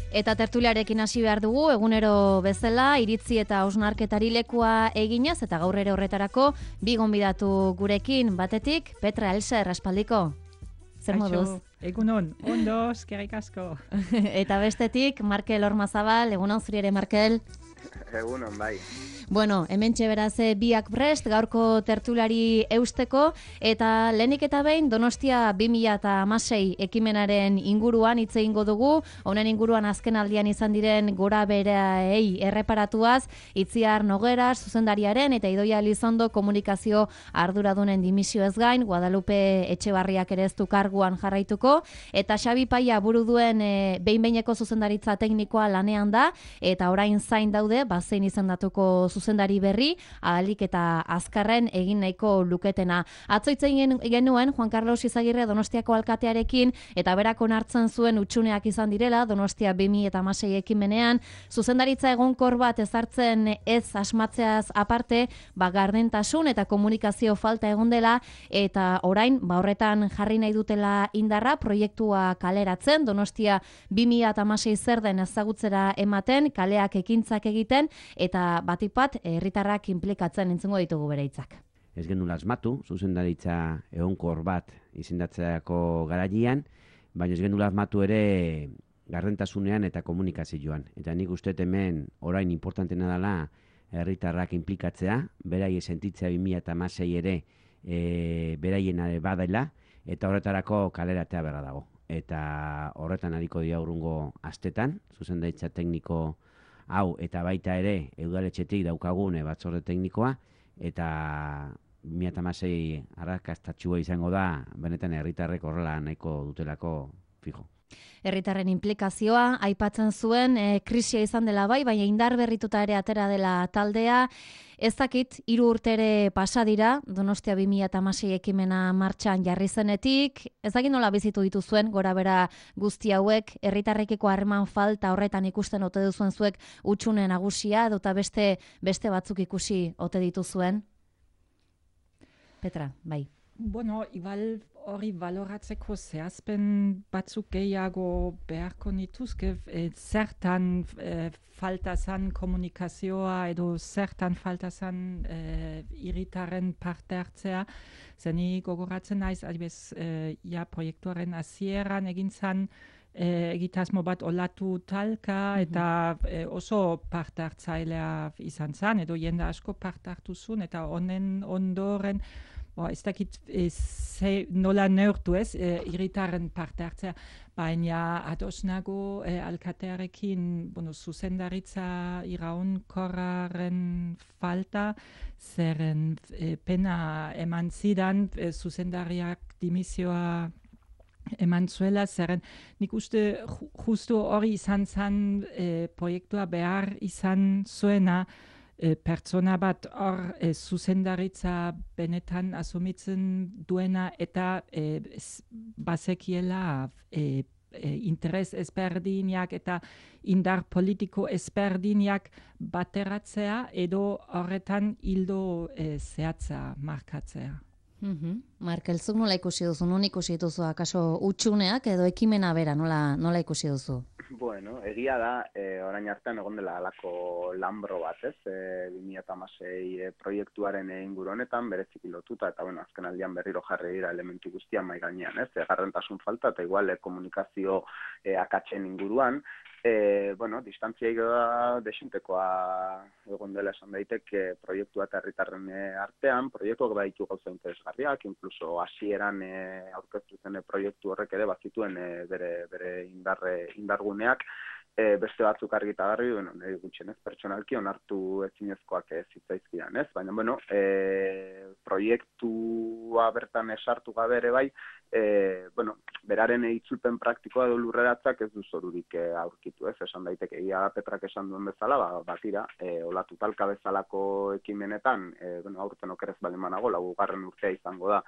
Eta tertuliarekin hasi behar dugu, egunero bezala, iritzi eta hausnarketari lekua eginez, eta gaur ere horretarako, bi gonbidatu gurekin, batetik, Petra Elser, aspaldiko. Zer moduz? Egunon, ondo, eskerrik asko. Eta bestetik, Markel Ormazabal, egunon zuri ere, Markel. Egunon, bai. Bueno, hementxe beraz biak prest, gaurko tertulari eusteko, eta lehenik eta behin Donostia 2016 ekimenaren inguruan hitz egingo dugu, honen inguruan azken aldian izan diren gora bereei erreparatuaz, Itziar Nogueras, zuzendariaren eta Idoia Elizondo komunikazio arduradunen dimisioez gain, Guadalupe Etxebarriak ere ez du karguan jarraituko, eta Xabi Paia buru duen behin-behineko zuzendaritza teknikoa lanean da, eta orain zain daude, bazein izendatuko zuzendari berri, ahalik eta azkarren egin nahiko luketena. Atzoitzen genuen Juan Carlos Izagirre Donostiako alkatearekin, eta berak onartzen zuen utxuneak izan direla, Donostia 2016 ekimenean, zuzendaritza egonkor bat ezartzen ez asmatzeaz aparte, gardentasun eta komunikazio falta egon dela, eta orain, horretan jarri nahi dutela indarra, proiektua kaleratzen, Donostia 2016 zer den ezagutzera ematen, kaleak ekintzak egiten, eta batik bat herritarrak inplikatzen entzungo ditugu bere hitzak. Ez genuen asmatu, zuzendaritza egonkor bat izendatzeako garaian, baina ez genuen asmatu ere gardentasunean eta komunikazioan. Eta nik uste hemen orain importantena dela herritarrak inplikatzea, berai sentitzea 2016 ere beraien badela, eta horretarako kaleratea berra dago. Eta horretan ariko dira urrungo astetan, zuzendaritza tekniko hau eta baita ere udaletxetik daukagune batzorde teknikoa, eta 2016 arrakastatxua izango da, benetan herritarrek horrela nahiko dutelako fijo. Herritarren inplikazioa aipatzen zuen, krisia izan dela bai, baina indar berrituta ere atera dela taldea. Ez dakit, 3 urte ere pasa dira, Donostia 2016 ekimena martxan jarri zenetik, ez dakit nola bizitu dituzuen, gora bera guzti hauek, herritarrekiko harreman falta horretan ikusten ote duzuen zuek utxune nagusia, edota beste batzuk ikusi ote dituzuen? Petra, bai. Bueno, igual hori baloratzeko zehazpen batzuk gehiago beharko nituzke, zertan falta zan komunikazioa edo zertan falta zan hiritarren parte hartzea. Zeni gogoratzen naiz, adibez, proiektuaren hasieran egin zan egitasmo bat olatu talka eta oso parte hartzailea izan zan, edo jende asko parte hartu zuen, eta honen ondoren ez dakit nola neurtu ez, hiritarren parte hartzea, baina ados nago alkatearekin zuzendaritza iraunkorraren falta, zeren pena eman zidan zuzendariak dimisioa eman zuela, zeren nik uste justu hori izan zen proiektua behar izan zuena, pertsona bat hor zuzendaritza benetan asumitzen duena eta bazekiela interes ezberdinak eta indar politiko ezberdinak bateratzea edo horretan hildo zehatza markatzea. Markel, zuk nola ikusi duzu? Non ikusi dituzu akaso utxuneak edo ekimena bera, nola ikusi duzu? Bueno, egia da, orain artean egon dela alako lanbro bat, ez? 2016 proiektuaren inguru honetan, bereziki lotuta, eta azken aldian berriro jarri dira elementu guztian mai gainean, ez? Garrentasun falta eta igual komunikazio akatsen inguruan, distantzia desintekoa egon dela esan daiteke proiektua eta herritarren artean, proiektuak baditu gauza interesgarriak, inkluso hasieran aurkeztu zen proiektu horrek ere bazituen bere indarguneak, beste batzuk argita garri, nire gutxenez pertsonalki onartu ezinezkoak zitzaizkidan, ez? Baina, proiektua bertan esartu gabe ere bai, beraren itzulpen praktikoa edo lurreratzak ez du zorurik aurkitu, ez? Esan daiteke, Petrak esan duen bezala, batira, olatu talka bezalako ekimenetan, aurten okerez baldin banago, 4. urtea izango da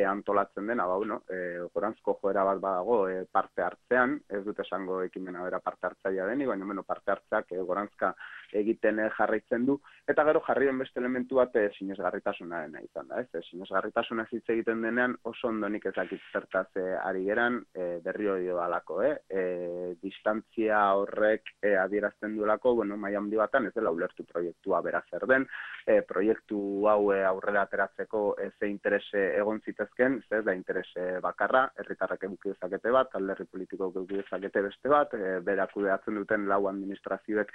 antolatzen dena, goranzko joera bat badago parte hartzean, ez dut esango ekimena bera parte hartzailea denik, baina parte hartzeak goranzka egiten jarraitzen du, eta gero jarri den beste elementu bat sinesgarritasunaren izan da, ez? Sinesgarritasunaz hitz egiten denean oso ondonik ezakit zertaz ari geran, berriro dio alako, distantzia horrek adierazten duelako, maila handi batan ez dela ulertu proiektua bera zer den, proiektu hau aurrera ateratzeko ze interese egon zitezken, ez da interese bakarra, herritarrak eduki dezakete bat, alderdi politikoak eduki dezakete beste bat, berak kudeatzen duten lau administrazioek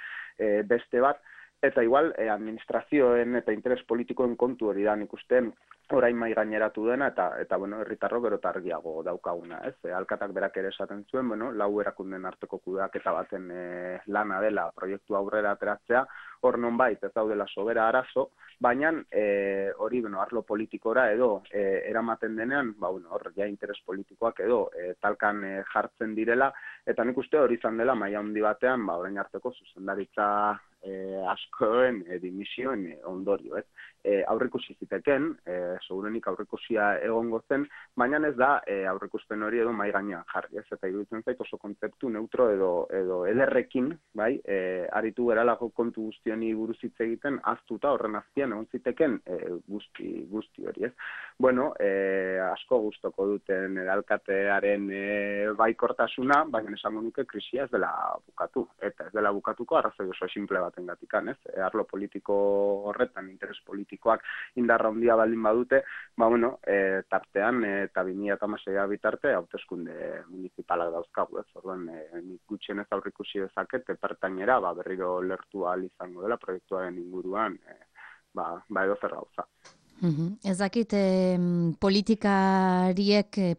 beste bat, eta igual administrazioen eta interes politikoen kontu hori da nik uste orain mai gaineratu dena eta herritarrok gero eta argiago daukaguna, ez? Alkatak berak ere esaten zuen, lau erakunden arteko kudeaketa baten lana dela proiektu aurrera ateratzea, hor nonbait ez daudela sobera arazo, baina hori arlo politikora edo eramaten denean, hor ja interes politikoak edo talkan jartzen direla, eta nik uste hori izan dela maila handi batean, orain arteko zuzendaritza askoen dimisioen ondorio, ez? Aurrikusi ziteken, segurenik aurrikusia egongo zen, baina ez da aurrikuspen hori edo mai gainean jarri, ez? Eta iruditzen zait oso kontzeptu neutro edo ederrekin, bai, aritu geralako kontu guzti honi buruz hitz egiten, ahaztuta horren azpian egon ziteken guzti hori, ez? Asko gustoko duten alkatearen baikortasuna, baina esango nuke krisia ez dela bukatu, eta ez dela bukatuko arrazoi oso simple batengatikan, ez? Arlo politiko horretan, interes politikoak indarra handia baldin badute, tartean eta 2016 bitarte hauteskunde municipalak dauzkagu, ez? Orduan nik gutxienez aurreikusi dezaket pertainera berriro lertu ahal izango dela proiektuaren inguruan edo zer gauza. Ez dakit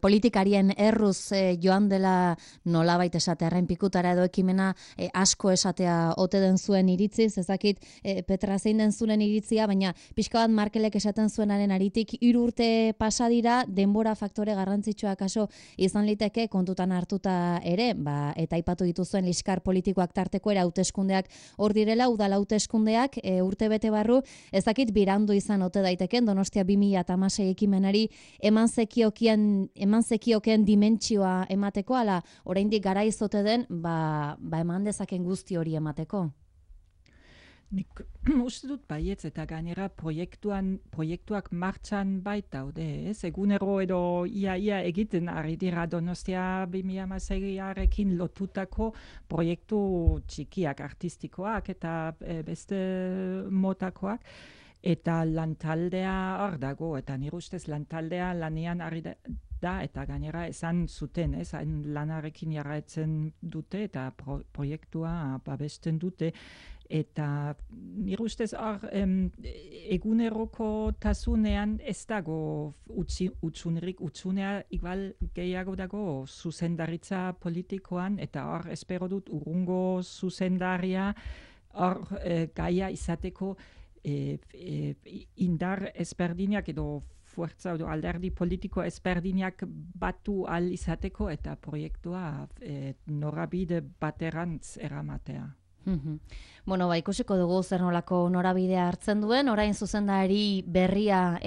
politikarien erruz joan dela nolabait esatearren pikutara edo ekimena asko esatea ote den zuen iritziz, ez dakit Petra zein den zuen iritzia, baina pixka bat Markelek esaten zuenaren aritik 3 urte pasa dira, denbora faktore garrantzitsua kaso izan liteke kontutan hartuta ere, eta aipatu dituzuen liskar politikoak tarteko era hauteskundeak hor direla, udal hauteskundeak urte bete barru, ez dakit birandu izan ote daiteken Donostia 2016 ekimenari eman zekioken dimentsioa emateko, ala oraindik garaiz ote den, eman dezaken guzti hori emateko? Nik uste dut baietz eta gainera proiektuak martxan baitaude, ez? Egunero edo ia egiten ari dira Donostia 2016arekin lotutako proiektu txikiak, artistikoak eta beste motakoak. Eta lantaldea hor dago, eta nire ustez lantaldea lanean ari da, eta gainera esan zuten, lanarekin jarraitzen dute, eta proiektua babesten dute, eta nire ustez hor eguneroko tasunean ez dago utsunea igual gehiago dago zuzendaritza politikoan, eta hor espero dut urrungo zuzendaria hor gaia izateko indar ezberdinak edo fuerza edo alderdi politiko ezberdinak batu ahal izateko eta proiektua norabide baterantz eramatea. Ikusiko dugu zer nolako norabidea hartzen duen, orain zuzendari berria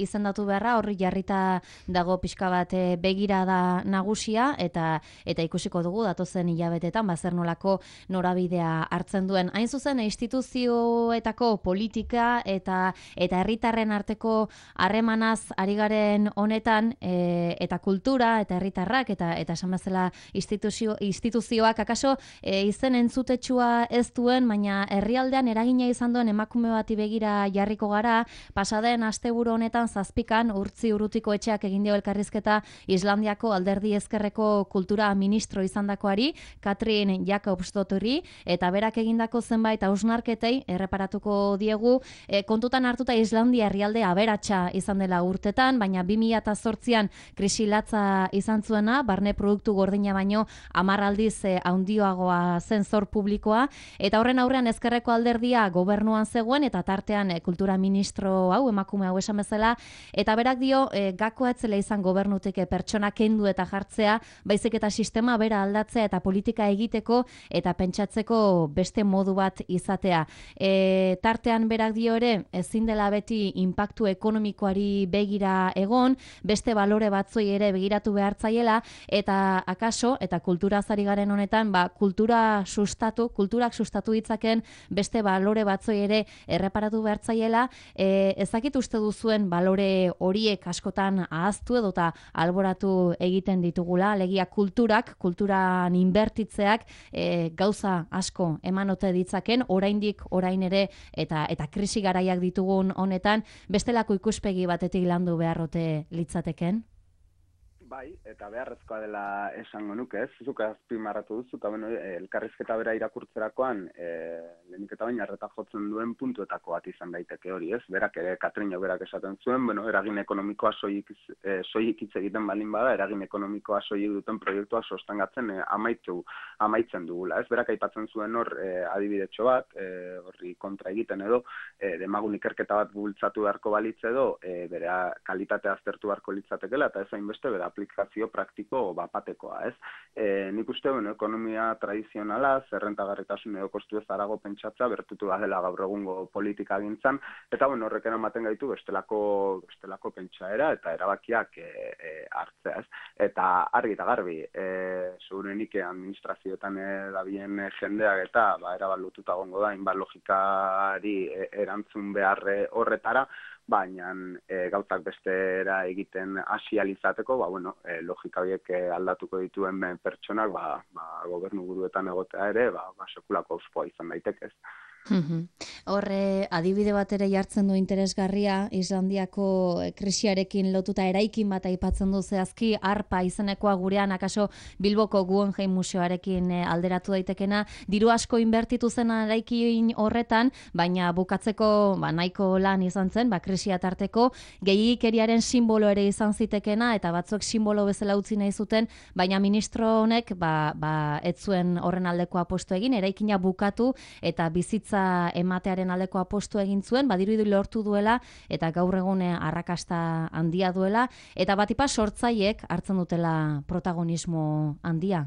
izendatu beharra, horri jarrita dago pixka bat begirada nagusia, eta ikusiko dugu datozen hilabetetan zer nolako norabidea hartzen duen. Hain zuzen, instituzioetako politika eta herritarren arteko harremanaz ari garen honetan, eta kultura, eta herritarrak, eta esan bezala instituzioak, akaso izen entzutetsua ez duen, baina herrialdean eragina izan duen emakume bati begira jarriko gara, pasaden asteburu honetan 7 Urtzi Urrutiko etxeak egin dio elkarrizketa Islandiako alderdi ezkerreko kultura ministro izandakoari, Katrin Jakobsdottirri, eta berak egindako zenbait hausnarketei erreparatuko diegu, kontutan hartuta Islandia herrialde aberatsa izan dela urtetan, baina 2008an krisi latza izan zuena, barne produktu gordina baino 10 aldiz handioagoa zen zor publikoa, eta horren aurrean ezkerreko alderdia gobernuan zegoen, eta tartean kultura ministro hau, emakume hau esan bezala, eta berak dio gakoa etzela izan gobernutik pertsona kendu eta jartzea, baizik eta sistema bera aldatzea eta politika egiteko eta pentsatzeko beste modu bat izatea. Tartean berak dio ere, ezin dela beti inpaktu ekonomikoari begira egon, beste balore batzoi ere begiratu behartzaiela, eta akaso, eta kultura zari garen honetan, kultura sustatu, kultura kulturak sustatu ditzaken beste balore batzoi ere erreparatu behartzaiela, ezakit uste duzuen balore horiek askotan ahaztu edota alboratu egiten ditugula, alegia kulturan inbertitzeak gauza asko emanote ditzaken, orain ere eta krisi garaiak ditugun honetan, bestelako ikuspegi batetik landu beharrote litzateken? Bai, eta beharrezkoa dela esango nuke, ez? Zuk azpimarratu duzu, eta elkarrizketa bera irakurtzerakoan, lehenik eta baina arreta jotzen duen puntuetako bat izan daiteke hori, ez? Berak ere, Katrina berak esaten zuen, eragin ekonomikoa soilik hitz egiten balin bada, eragin ekonomikoa soilik duten proiektua sostengatzen amaitzen dugula, ez? Berak aipatzen zuen hor adibidetxo bat, horri kontra egiten edo, demagun ikerketa bat bultzatu beharko balitz edo, bere kalitatea aztertu beharko litzatekela, eta ez hainbeste bere aplikazio praktiko bapatekoa, ez? Nik uste, ekonomia tradizionala, zerrentagarritasun edo kostu ez arago pentsatza, bertutu da dela gaur egungo politika gintzan, eta horrek eramaten gaitu bestelako pentsaera eta erabakiak hartzea, ez? Eta argi eta garbi, segurenik administrazioetan dabilen jendeak eta erabat lotuta gongo da, hainbat logikari erantzun behar horretara, baina gauzak bestera egiten asializateko, logika horiek aldatuko dituen pertsonak, gobernu buruetan egotea ere, sekulako auspoa izan daiteke, ez. Horre, adibide bat ere jartzen du interesgarria, Islandiako krisiarekin lotuta eraikin bat aipatzen du zehazki, arpa izenekoa gurean, akaso Bilboko Guggenheim museoarekin alderatu daitekena, diru asko inbertitu zen eraikin horretan, baina bukatzeko nahiko lan izan zen, krisia tarteko, gehiagikeriaren simbolo ere izan zitekena, eta batzuk simbolo bezala utzi nahi zuten, baina ministro honek ez zuen horren aldeko apostu egin, eraikina bukatu eta bizitza ematearen aldeko apostu egin zuen, badiruditu lortu duela eta gaur egun arrakasta handia duela, eta batipa sortzaiek hartzen dutela protagonismo handia.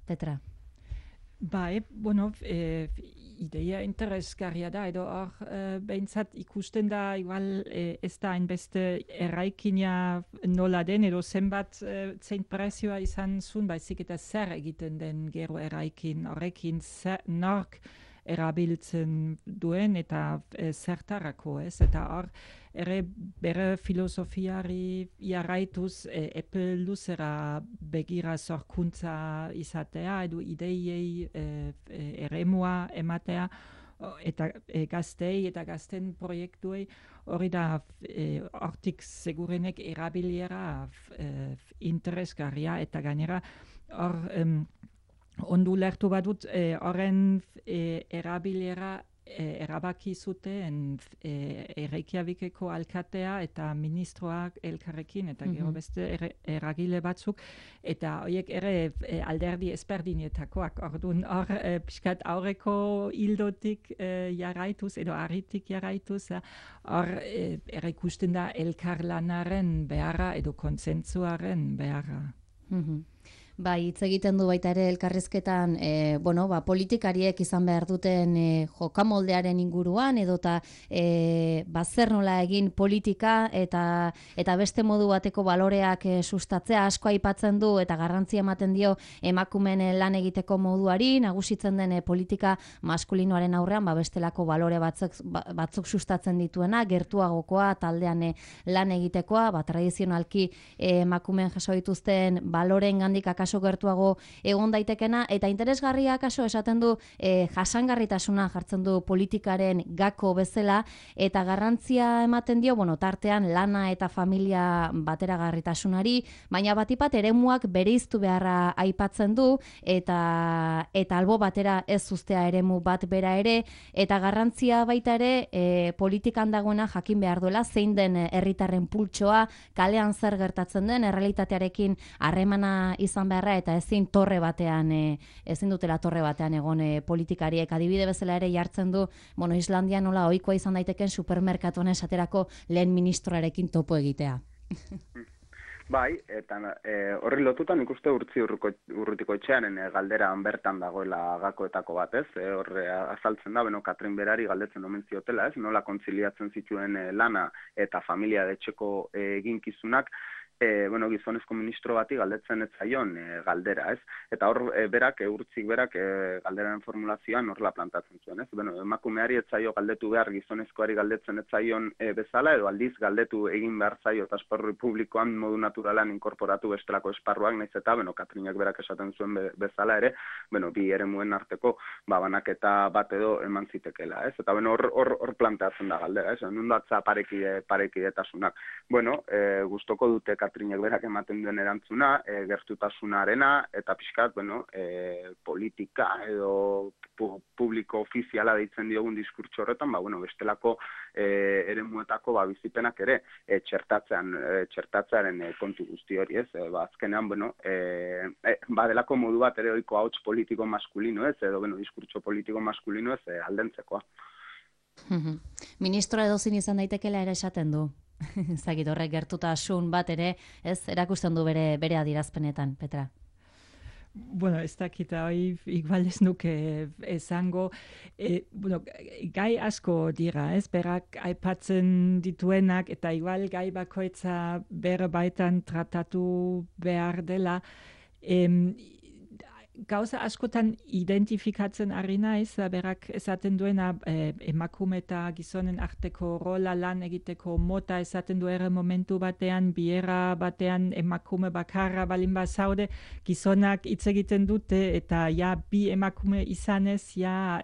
Petra? Ideia interesgarria da, edo hor behintzat ikusten da, igual ez da hainbeste erraikina nola den, edo zenbat zein prezioa izan zuen, baizik eta zer egiten den gero erraikin, horrekin nork erabiltzen duen eta zertarako, ez? Eta hor, ere bere filosofiari jarraituz epe luzera begira sorkuntza izatea, edo ideiei eremua ematea, eta gaztei eta gazten proiektuei, hori da hortik segurenek erabiliera interesgarria, eta gainera hor ondu lertu badut horren erabilera erabaki zuten Reykjavikeko alkatea eta ministroak elkarrekin eta gero beste eragile batzuk, eta horiek ere alderdi ezberdinetakoak. Orduan hor pixkat aurreko hildotik jarraituz edo arritik jarraituz, hor ere ikusten da elkarlanaren beharra edo kontsentsuaren beharra. Bai, hitz egiten du baita ere elkarrizketan, politikariek izan behar duten jokamoldearen inguruan, edota zer nola egin politika eta beste modu bateko baloreak sustatzea asko aipatzen du eta garrantzia ematen dio emakumeen lan egiteko moduari, nagusitzen den politika maskulinoaren aurrean, bestelako balore batzuk sustatzen dituena, gertuagokoa, taldean lan egitekoa, tradizionalki emakumeen jaso dituzten baloreen gandik akaso gertuago egon daitekena, eta interesgarria akaso esaten du jasangarritasuna jartzen du politikaren gako bezala, eta garrantzia ematen dio, tartean lana eta familia bateragarritasunari, baina batipat eremuak bereiztu beharra aipatzen du, eta albo batera ez uztea eremu bat bera ere, eta garrantzia baita ere politikan dagoena jakin behar duela, zein den herritarren pultsoa, kalean zer gertatzen den, errealitatearekin harremana izan beharra, eta ezin dutela torre batean egon politikariek. Adibide bezala ere jartzen du, Islandia nola ohikoa izan daiteken supermerkatuan esaterako lehen ministroarekin topo egitea. Bai, eta horri lotutan ikuste urrutiko etxearen galderan bertan dagoela gakoetako bat, ez? Horre azaltzen da, Katrin berari galdetzen omen ziotela, ez? Nola kontziliatzen zituen lana eta familia etxeko eginkizunak, gizonezko ministro bati galdetzen ez zaion galdera, ez? Eta hor berak, urtzik berak galderaren formulazioan horrela plantatzen zuen, ez? Emakumeari ez zaio galdetu behar gizonezkoari galdetzen ez zaion bezala, edo aldiz galdetu egin behar zaio eta esparru publikoan modu naturalan inkorporatu bestelako esparruak, naiz eta, Katrinak berak esaten zuen bezala ere, bi eremuen arteko banaketa bat edo eman zitekela, ez? Eta hor planteatzen da galdera, ez? Nundatza parekidetasunak. Gustoko dute Katrinak berak ematen duen erantzuna, gertutasunarena, eta pixkat, politika edo publiko ofiziala deitzen diogun diskurtso horretan, bestelako eremuetako bizipenak ere txertatzearen kontu guzti hori, ez? Azkenean, badelako modu bat ere ohiko ahots politiko maskulino, ez? Edo, diskurtso politiko maskulino, ez? Aldentzekoa. Ministro edozin izan daitekela ere esaten du. Zagit horrek gertutasun bat ere, ez, erakusten du bere adierazpenetan, Petra. Ez dakita, igual ez nuke esango, gai asko dira, ez, berak aipatzen dituenak, eta igual gai bakoitza bere baitan tratatu behar dela, gauza askotan identifikatzen ari naiz, berak esaten duena emakume eta gizonen arteko rola lan egiteko mota esaten du ere momentu batean, biera batean emakume bakarra balin bazaude, gizonak hitz egiten dute eta bi emakume izanez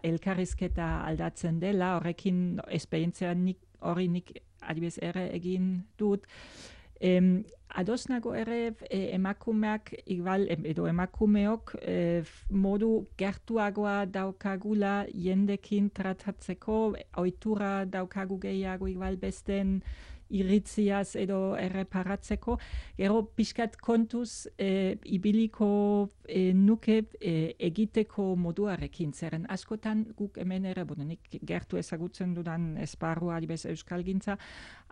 elkarrizketa aldatzen dela, horrekin esperientzia hori nik adibidez ere egin dut. Ados nago ere emakumeak edo emakumeok modu gertuagoa daukagula jendekin tratatzeko, ohitura daukagu gehiago igual besten iritziaz edo erreparatzeko. Gero pixkat kontuz ibiliko nuke egiteko moduarekin zeren. Askotan guk hemen ere, nik gertu ezagutzen dudan esparrua adibez euskalgintza,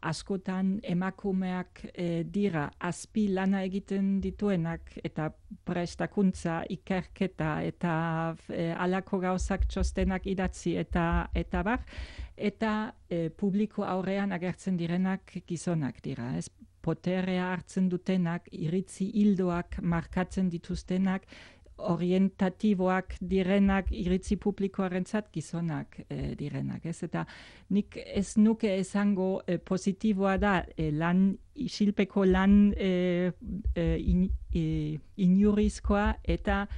askotan emakumeak dira azpi lana egiten dituenak eta prestakuntza, ikerketa eta alako gauzak txostenak idatzi eta bar, eta publiko aurrean agertzen direnak gizonak dira. Ez poterea hartzen dutenak, iritzi hildoak markatzen dituztenak, orientatiboak direnak iritzi publikoarentzat gizonak direnak. Ez? Eta nik ez nuke esango positiboa da isilpeko lan inurizkoa eta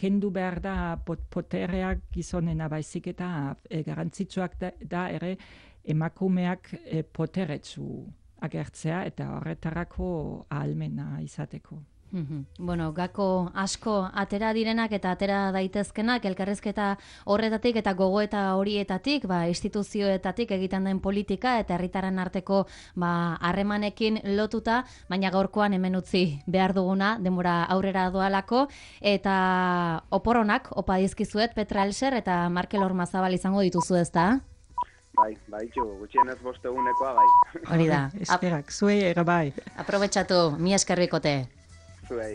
kendu behar da potereak gizonena baizik eta garantzitsuak da ere emakumeak poteretsu agertzea eta horretarako ahalmena izateko. Gako asko atera direnak eta atera daitezkenak elkarrizketa horretatik eta gogoeta horietatik, instituzioetatik egiten den politika eta herritarren arteko harremanekin lotuta, baina gaurkoan hemen utzi behar duguna, denbora aurrera doalako, eta oporonak opa dizkizuet Petra Elser eta Markel Ormazabal izango dituzu, ezta? Bai, gutxienez 5 egunekoa, bai. Hori da. Eskerak, zuei ere bai. Aprobetxatu, mi eskerrikote. Zuei.